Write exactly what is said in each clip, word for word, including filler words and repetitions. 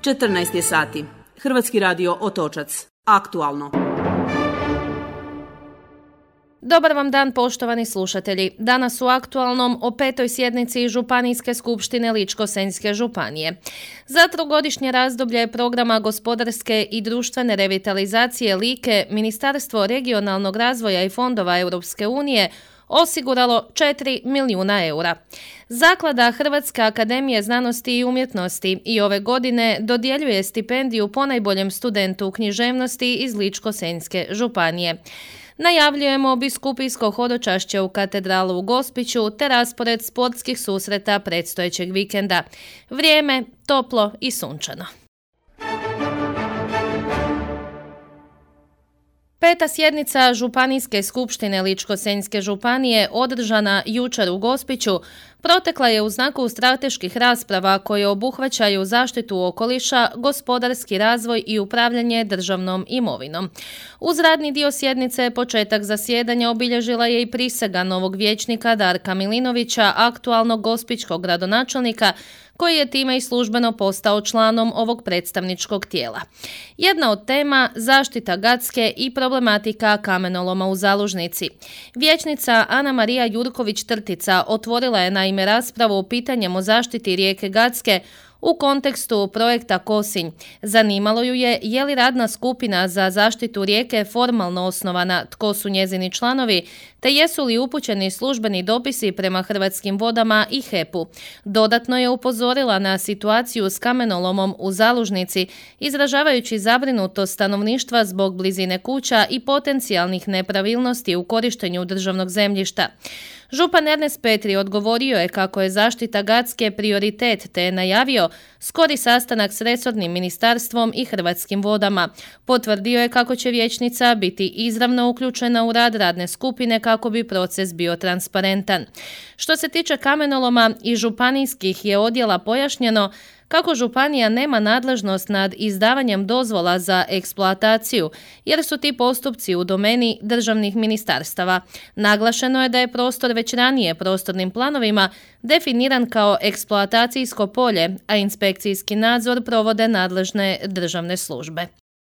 četrnaest je sati. Hrvatski radio Otočac. Aktualno. Dobar vam dan, poštovani slušatelji. Danas u Aktualnom o petoj sjednici Županijske skupštine Ličko-senjske županije. Za trogodišnje razdoblje programa gospodarske i društvene revitalizacije Like Ministarstvo regionalnog razvoja i fondova Europske unije osiguralo četiri milijuna eura. Zaklada Hrvatske akademije znanosti i umjetnosti i ove godine dodjeljuje stipendiju ponajboljem studentu književnosti iz Ličko-senjske županije. Najavljujemo biskupijsko hodočašće u katedralu u Gospiću te raspored sportskih susreta predstojećeg vikenda. Vrijeme toplo i sunčano. Peta sjednica Županijske skupštine Ličko-senjske županije održana jučer u Gospiću protekla je u znaku strateških rasprava koje obuhvaćaju zaštitu okoliša, gospodarski razvoj i upravljanje državnom imovinom. Uz radni dio sjednice početak zasjedanja obilježila je i prisega novog vijećnika Darka Milinovića, aktualnog gospićkog gradonačelnika, koji je time i službeno postao članom ovog predstavničkog tijela. Jedna od tema zaštita Gacke i problematika kamenoloma u Zalužnici. Vijećnica Ana Marija Jurković-Trtica otvorila je naime raspravu o pitanjem o zaštiti rijeke Gacke u kontekstu projekta Kosinj. Zanimalo ju je je li radna skupina za zaštitu rijeke formalno osnovana, tko su njezini članovi, te jesu li upućeni službeni dopisi prema Hrvatskim vodama i H E P-u. Dodatno je upozorila na situaciju s kamenolomom u Zalužnici, izražavajući zabrinutost stanovništva zbog blizine kuća i potencijalnih nepravilnosti u korištenju državnog zemljišta. Župan Ernest Petri odgovorio je kako je zaštita Gacke prioritet te je najavio skori sastanak s resornim ministarstvom i Hrvatskim vodama. Potvrdio je kako će vijećnica biti izravno uključena u rad radne skupine kako bi proces bio transparentan. Što se tiče kamenoloma i županijskih je odjela pojašnjeno kako županija nema nadležnost nad izdavanjem dozvola za eksploataciju, jer su ti postupci u domeni državnih ministarstava. Naglašeno je da je prostor već ranije prostornim planovima definiran kao eksploatacijsko polje, a inspekcijski nadzor provode nadležne državne službe.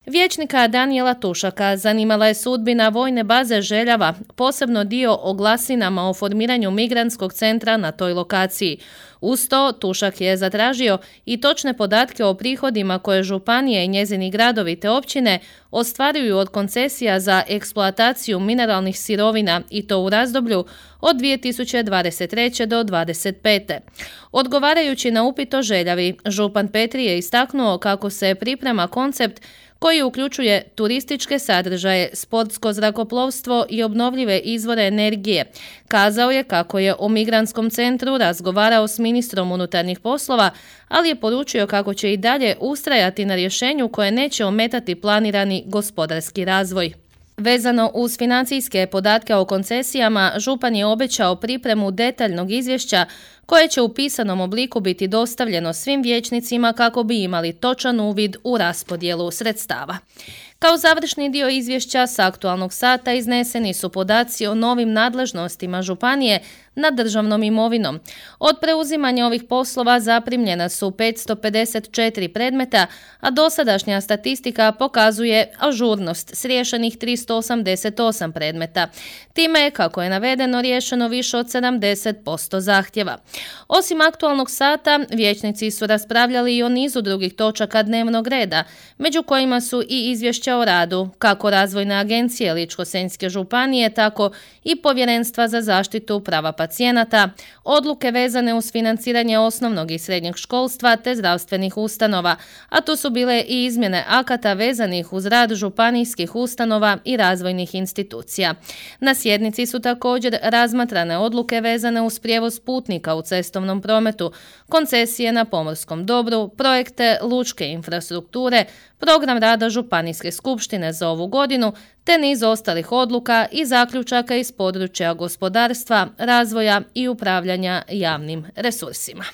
Vijećnika Danijela Tušaka zanimala je sudbina vojne baze Željava, posebno dio o glasinama o formiranju migrantskog centra na toj lokaciji. Uz to, Tušak je zatražio i točne podatke o prihodima koje županije i njezini gradovi te općine ostvaruju od koncesija za eksploataciju mineralnih sirovina i to u razdoblju od dvije tisuće dvadeset treće do dvadeset pete. Odgovarajući na upit o Željavi, župan Petri je istaknuo kako se priprema koncept koji uključuje turističke sadržaje, sportsko zrakoplovstvo i obnovljive izvore energije. Kazao je kako je o migrantskom centru razgovarao s ministrom unutarnjih poslova, ali je poručio kako će i dalje ustrajati na rješenju koje neće ometati planirani gospodarski razvoj. Vezano uz financijske podatke o koncesijama, župan je obećao pripremu detaljnog izvješća koje će u pisanom obliku biti dostavljeno svim vijećnicima kako bi imali točan uvid u raspodjelu sredstava. Kao završni dio izvješća s aktualnog sata izneseni su podaci o novim nadležnostima županije nad državnom imovinom. Od preuzimanja ovih poslova zaprimljena su petsto pedeset četiri predmeta, a dosadašnja statistika pokazuje ažurnost s riješenih tristo osamdeset osam predmeta. Time je, kako je navedeno, riješeno više od sedamdeset posto zahtjeva. Osim aktualnog sata, vijećnici su raspravljali i o nizu drugih točaka dnevnog reda, među kojima su i izvješća o radu, kako Razvojne agencije Ličko-senjske županije, tako i Povjerenstva za zaštitu prava pacijenata, odluke vezane uz financiranje osnovnog i srednjeg školstva te zdravstvenih ustanova, a tu su bile i izmjene akata vezanih uz rad županijskih ustanova i razvojnih institucija. Na sjednici su također razmatrane odluke vezane uz prijevoz putnika u cestovnom prometu, koncesije na pomorskom dobru, projekte lučke infrastrukture, program rada Županijske skupštine za ovu godinu, te niz ostalih odluka i zaključaka iz područja gospodarstva, razvoja i upravljanja javnim resursima.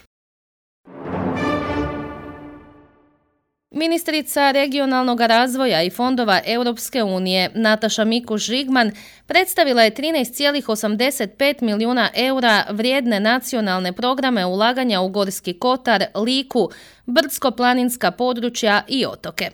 Ministrica regionalnog razvoja i fondova Europske unije Nataša Mikuš-Žigman predstavila je trinaest zarez osamdeset pet milijuna eura vrijedne nacionalne programe ulaganja u Gorski kotar, Liku, brdsko-planinska područja i otoke.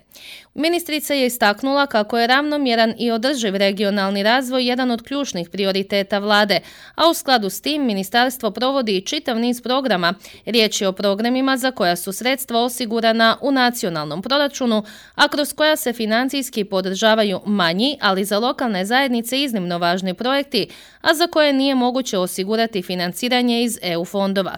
Ministrica je istaknula kako je ravnomjeran i održiv regionalni razvoj jedan od ključnih prioriteta vlade, a u skladu s tim ministarstvo provodi i čitav niz programa. Riječ je o programima za koja su sredstva osigurana u nacionalnom proračunu, a kroz koja se financijski podržavaju manji, ali za lokalne zajednice iznimno važni projekti, a za koje nije moguće osigurati financiranje iz E U fondova.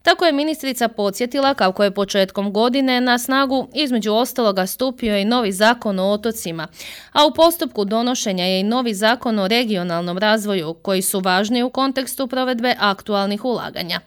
Tako je ministrica podsjetila kako je početkom godine na snagu između ostaloga stupio i novi zakon o otocima, a u postupku donošenja je i novi zakon o regionalnom razvoju, koji su važni u kontekstu provedbe aktualnih ulaganja.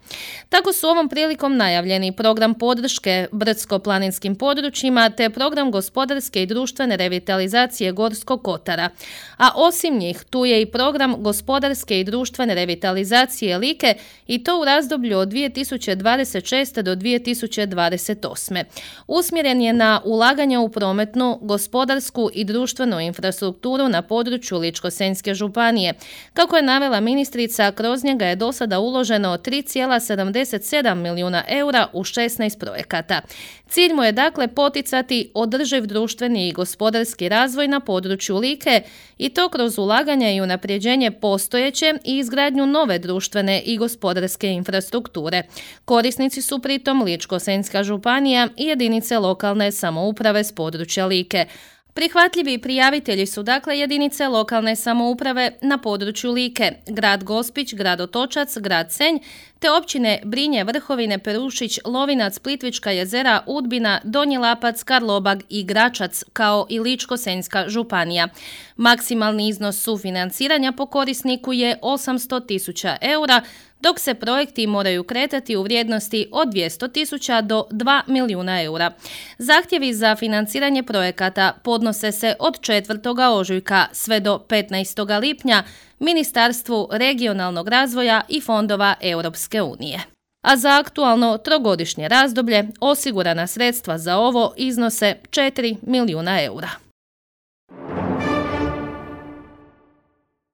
Tako su ovom prilikom najavljeni program podrške brdsko-planinskim područjima te program gospodarske i društvene revitalizacije Gorskog kotara, a osim njih tu je i program gospodarske i društvene revitalizacije Like i to u razdoblju od dvije tisuće dvadeset šeste. do dvije tisuće dvadeset osme. Usmjeren je na ulaganja u prometnu, gospodarsku i društvenu infrastrukturu na području Ličko-senjske županije. Kako je navela ministrica, kroz njega je do sada uloženo tri zarez sedamdeset sedam milijuna eura u šesnaest projekata. Cilj mu je dakle poticati održiv društveni i gospodarski razvoj na području Like i to kroz ulaganja i unapređenje postojeće i izgradnju nove društvene i gospodarske infrastrukture. Korisnici su pritom Ličko-senjska županija i jedinice lokalne samouprave s područja Like. Prihvatljivi prijavitelji su dakle jedinice lokalne samouprave na području Like, grad Gospić, grad Otočac, grad Senj, te općine Brinje, Vrhovine, Perušić, Lovinac, Plitvička jezera, Udbina, Donji Lapac, Karlobag i Gračac, kao i Ličko-senjska županija. Maksimalni iznos sufinanciranja po korisniku je osamsto tisuća eura, dok se projekti moraju kretati u vrijednosti od dvjesto tisuća do dva milijuna eura. Zahtjevi za financiranje projekata podnose se od četvrtoga ožujka sve do petnaestoga lipnja Ministarstvu regionalnog razvoja i fondova Europske unije. A za aktualno trogodišnje razdoblje osigurana sredstva za ovo iznose četiri milijuna eura.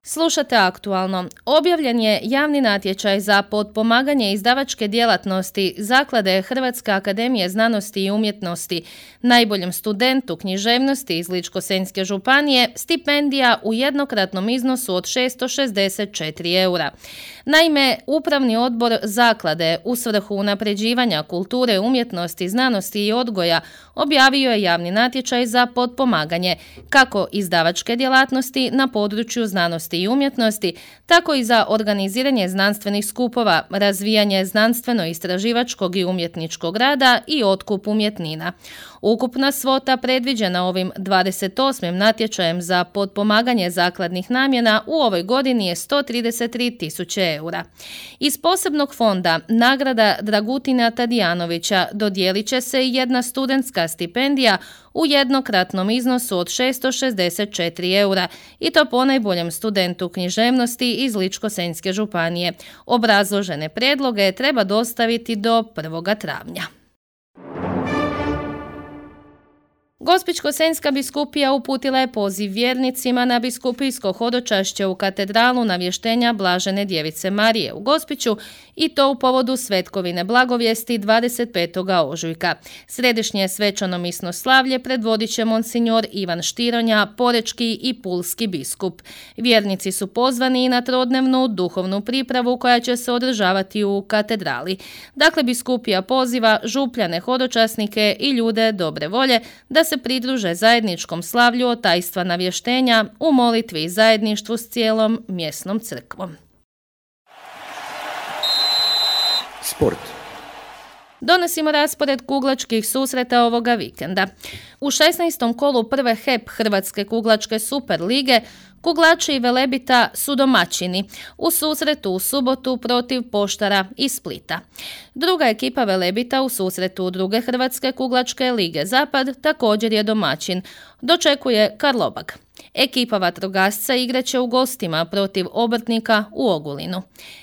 Slušate aktualno. Objavljen je javni natječaj za potpomaganje izdavačke djelatnosti Zaklade Hrvatske akademije znanosti i umjetnosti. Najboljem studentu književnosti iz Ličko-senjske županije stipendija u jednokratnom iznosu od šesto šezdeset četiri eura. Naime, Upravni odbor Zaklade u svrhu unapređivanja kulture, umjetnosti, znanosti i odgoja objavio je javni natječaj za potpomaganje kako izdavačke djelatnosti na području znanosti i umjetnosti, tako i za organiziranje znanstvenih skupova, razvijanje znanstveno-istraživačkog i umjetničkog rada i otkup umjetnina. Ukupna svota predviđena ovim dvadeset osmim natječajem za potpomaganje zakladnih namjena u ovoj godini je sto trideset tri tisuće eura. Iz posebnog fonda nagrada Dragutina Tadijanovića dodijelit će se i jedna studentska stipendija u jednokratnom iznosu od šesto šezdeset četiri eura i to ponajboljem studentu književnosti iz Ličko-senjske županije. Obrazložene prijedloge treba dostaviti do prvoga travnja. Gospićko-senjska biskupija uputila je poziv vjernicima na biskupijsko hodočašće u katedralu navještenja Blažene djevice Marije u Gospiću i to u povodu svetkovine blagovijesti dvadeset petog ožujka. Središnje svečano-misno slavlje predvodit će monsinjor Ivan Štironja, porečki i pulski biskup. Vjernici su pozvani i na trodnevnu duhovnu pripravu koja će se održavati u katedrali. Dakle, biskupija poziva župljane, hodočasnike i ljude dobre volje da se pridruže zajedničkom slavlju otajstva navještenja u molitvi i zajedništvu s cijelom mjesnom crkvom. Sport. Donosimo raspored kuglačkih susreta ovoga vikenda. U šesnaestom kolu prve H E P Hrvatske kuglačke super lige kuglači Velebita su domaćini u susretu u subotu protiv Poštara iz Splita. Druga ekipa Velebita u susretu druge Hrvatske kuglačke lige Zapad također je domaćin. Dočekuje Karlobag. Ekipa vatrogasca igraće u gostima protiv Obrtnika u Ogulinu.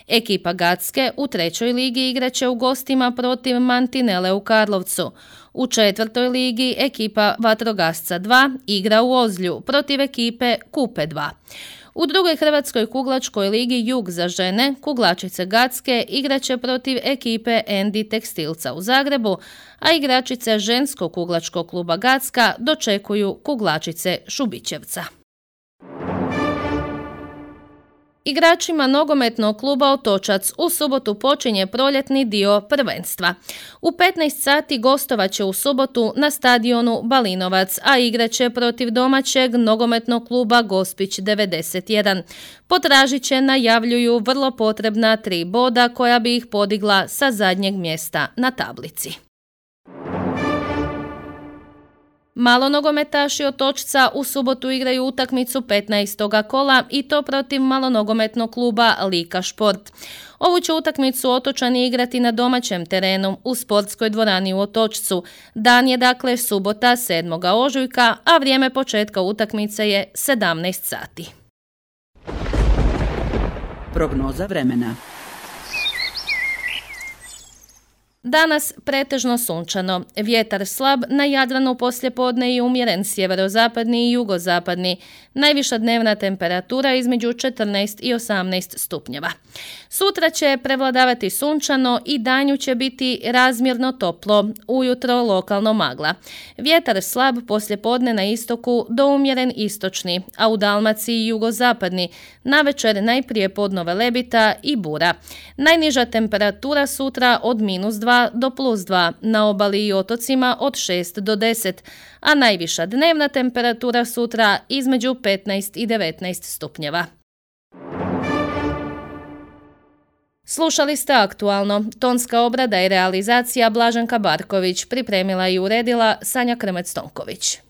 Ekipa Gacke u trećoj ligi igraće u gostima protiv Mantinele u Karlovcu. U četvrtoj ligi ekipa Vatrogasca dva igra u Ozlju protiv ekipe Kupe dva. U drugoj hrvatskoj kuglačkoj ligi Jug za žene kuglačice Gacke igraće protiv ekipe Endi Tekstilca u Zagrebu, a igračice ženskog kuglačkog kluba Gacka dočekuju kuglačice Šubićevca. Igračima nogometnog kluba Otočac u subotu počinje proljetni dio prvenstva. U petnaest sati gostovat će u subotu na stadionu Balinovac, a igraće protiv domaćeg nogometnog kluba Gospić devedeset jedan. Potražiće najavljuju vrlo potrebna tri boda koja bi ih podigla sa zadnjeg mjesta na tablici. Malonogometaši Otočca u subotu igraju utakmicu petnaestog kola i to protiv malonogometnog kluba Lika Šport. Ovu će utakmicu Otočani igrati na domaćem terenu u sportskoj dvorani u Otočcu. Dan je dakle subota sedmog ožujka, a vrijeme početka utakmice je sedamnaest sati. Prognoza vremena. Danas pretežno sunčano, vjetar slab, na Jadranu poslijepodne i umjeren sjeverozapadni i jugozapadni. Najviša dnevna temperatura između četrnaest i osamnaest stupnjeva. Sutra će prevladavati sunčano i danju će biti razmjerno toplo, ujutro lokalno magla. Vjetar slab poslijepodne na istoku do umjeren istočni, a u Dalmaciji jugozapadni, navečer najprije podno velebita i bura. Najniža temperatura sutra od minus dva do plus dva, na obali i otocima od šest do deset, a najviša dnevna temperatura sutra između petnaest i devetnaest stupnjeva. Slušali ste Aktualno. Tonska obrada i realizacija Blaženka Barković, pripremila i uredila Sanja Krmec-Tonković.